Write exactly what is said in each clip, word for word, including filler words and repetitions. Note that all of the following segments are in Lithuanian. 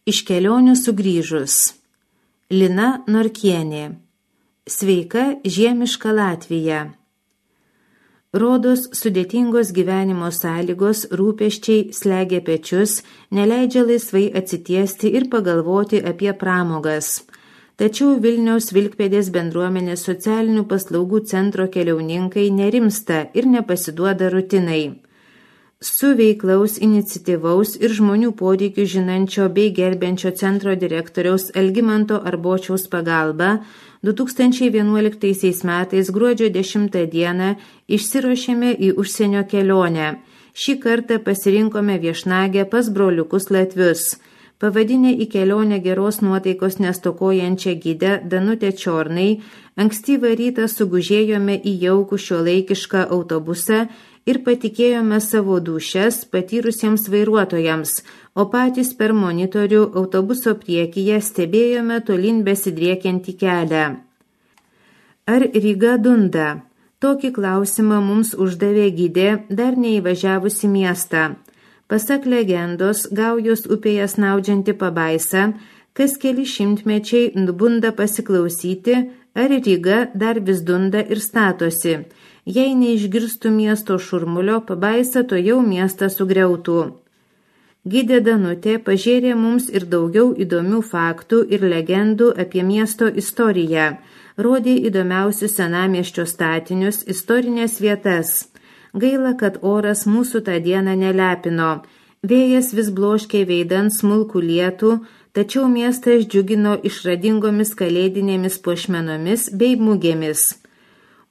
Iš kelionių sugrįžus. Lina Norkienė. Sveika žiemiška Latvija. Rodos sudėtingos gyvenimo sąlygos, rūpesčiai slegia pečius, neleidžia laisvai atsitiesti ir pagalvoti apie pramogas. Tačiau Vilniaus Vilkpėdės bendruomenės socialinių paslaugų centro keliauninkai nerimsta ir nepasiduoda rutinai. Su veiklaus, iniciatyvaus ir žmonių poreikių žinančio bei gerbiančio centro direktoriaus Algimanto Arbočiaus pagalba du tūkstančiai vienuoliktaisiais metais gruodžio dešimtą dieną išsiruošėme į užsienio kelionę. Šį kartą pasirinkome viešnagę pas broliukus latvius. Pavadinę į kelionę geros nuotaikos nestokojančią gidę Danutę Čiornai, ankstyvą rytą sugužėjome į jaukų šiuolaikišką autobusą ir patikėjome savo dūšias patyrusiems vairuotojams, o patys per monitorių autobuso priekyje stebėjome tolyn besidriekiantį kelią. Ar Ryga dunda? Tokį klausimą mums uždavė gidė dar neįvažiavusi miestą. Pasak legendos, Gaujos upėje snaudžianti pabaisa, kas keli šimtmečiai nubunda pasiklausyti, ar Ryga dar vis dunda ir statosi. Jei neišgirstų miesto šurmulio, pabaisa to jau miestą sugriautų. Gidė Danutė pažėrė mums ir daugiau įdomių faktų ir legendų apie miesto istoriją, rodė įdomiausius senamiesčio statinius, istorinės vietas. Gaila, kad oras mūsų tą dieną nelepino. Vėjas vis bloškė veidant smulkų lietų, tačiau miestas džiugino išradingomis kalėdinėmis puošmenomis bei mugėmis.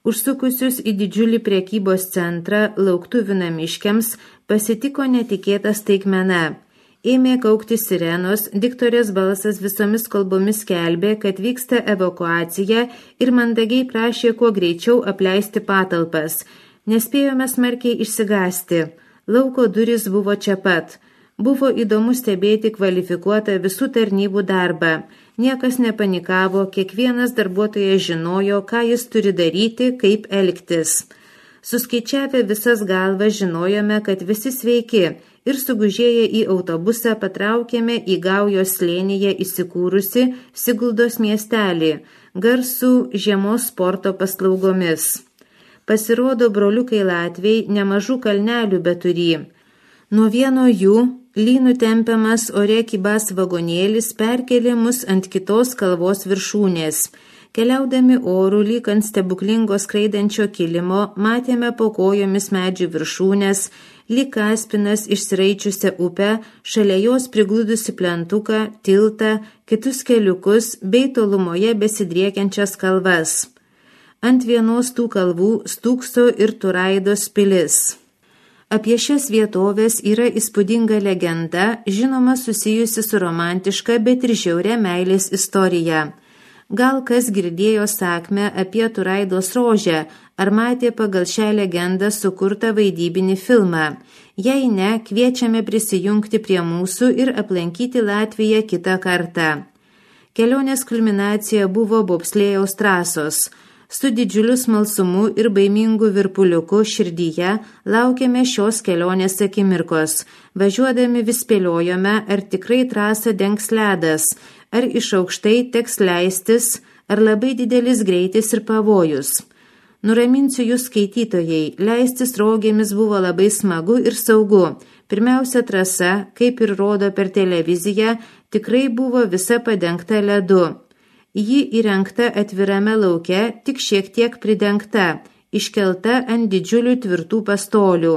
Užsukusius į didžiulį prekybos centrą lauktuvių namiškiams pasitiko netikėta staigmena. Ėmė kaukti sirenos, diktorės balsas visomis kalbomis skelbė, kad vyksta evakuacija ir mandagiai prašė kuo greičiau apleisti patalpas. Nespėjome smarkiai išsigąsti. Lauko durys buvo čia pat. Buvo įdomu stebėti kvalifikuotą visų tarnybų darbą. Niekas nepanikavo, kiekvienas darbuotojas žinojo, ką jis turi daryti, kaip elgtis. Suskaičiavę visas galvas žinojome, kad visi sveiki ir sugužėję į autobusą patraukėme į Gaujos slėnyje įsikūrusi Siguldos miestelį, garsų žiemos sporto paslaugomis. Pasirodo, broliukai latviai nemažų kalnelių beturį. Nuo vieno jų lynų tempiamas ore kibas vagonėlis perkelė mus ant kitos kalvos viršūnės. Keliaudami orų lyg ant stebuklingo skraidančio kilimo, matėme po kojomis medžių viršūnės, lyg kaspinas išsiraičiusią upę, šalia jos prigludusi plentuką, tiltą, kitus keliukus bei tolumoje besidriekiančias kalvas. Ant vienos tų kalvų stūkso ir Turaidos pilis. Apie šias vietovės yra įspūdinga legenda, žinoma susijusi su romantiška, bet ir žiauria meilės istorija. Gal kas girdėjo sakmę apie Turaidos rožę, ar matė pagal šią legendą sukurtą vaidybinį filmą. Jei ne, kviečiame prisijungti prie mūsų ir aplankyti Latviją kitą kartą. Kelionės kulminacija buvo bobslėjaus trasos. Su didžiuliu smalsumu ir baimingu virpuliuku širdyje laukėme šios kelionės akimirkos. Važiuodami vis spėliojome, ar tikrai trasą dengs ledas, ar iš aukštai teks leistis, ar labai didelis greitis ir pavojus. Nuraminsiu jūs skaitytojai, leistis rogėmis buvo labai smagu ir saugu. Pirmiausia trasa, kaip ir rodo per televiziją, tikrai buvo visa padengta ledu. Ji įrengta atvirame lauke, tik šiek tiek pridengta, iškelta ant didžiulių tvirtų pastolių.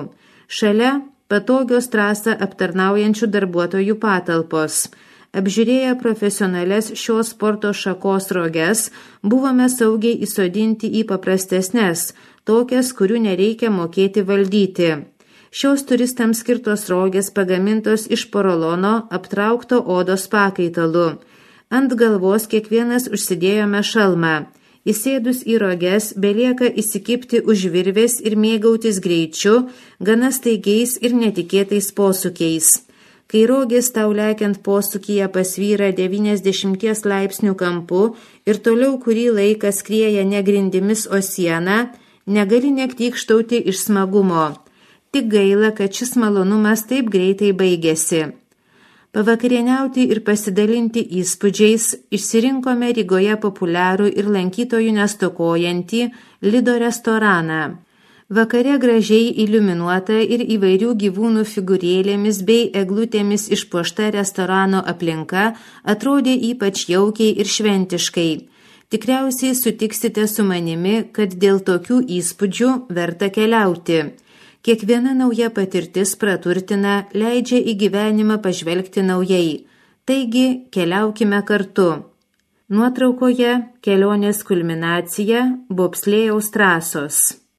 Šalia patogios trasą aptarnaujančių darbuotojų patalpos. Apžiūrėję profesionales šios sporto šakos roges, buvome saugiai įsodinti į paprastesnes, tokias, kurių nereikia mokėti valdyti. Šios turistams skirtos rogės pagamintos iš porolono aptraukto odos pakaitalu. Ant galvos kiekvienas užsidėjome šalmą. Įsėdus į roges belieka įsikibti už virvės ir mėgautis greičiu, gana staigiais ir netikėtais posūkiais. Kai rogės tau lekiant posūkyje pasvyra devyniasdešimties laipsnių kampu ir toliau kurį laiką skrieja ne grindimis, o siena, negali nektykštauti iš smagumo. Tik gaila, kad šis malonumas taip greitai baigėsi. Pavakarieniauti ir pasidalinti įspūdžiais išsirinkome Rygoje populiarų ir lankytojų nestokojantį Lido restoraną. Vakare gražiai iliuminuota ir įvairių gyvūnų figūrėlėmis bei eglutėmis išpuošta restorano aplinka atrodė ypač jaukiai ir šventiškai. Tikriausiai sutiksite su manimi, kad dėl tokių įspūdžių verta keliauti. Kiekviena nauja patirtis praturtina, leidžia į gyvenimą pažvelgti naujai. Taigi, keliaukime kartu. Nuotraukoje kelionės kulminacija Bobslėjaus trasos.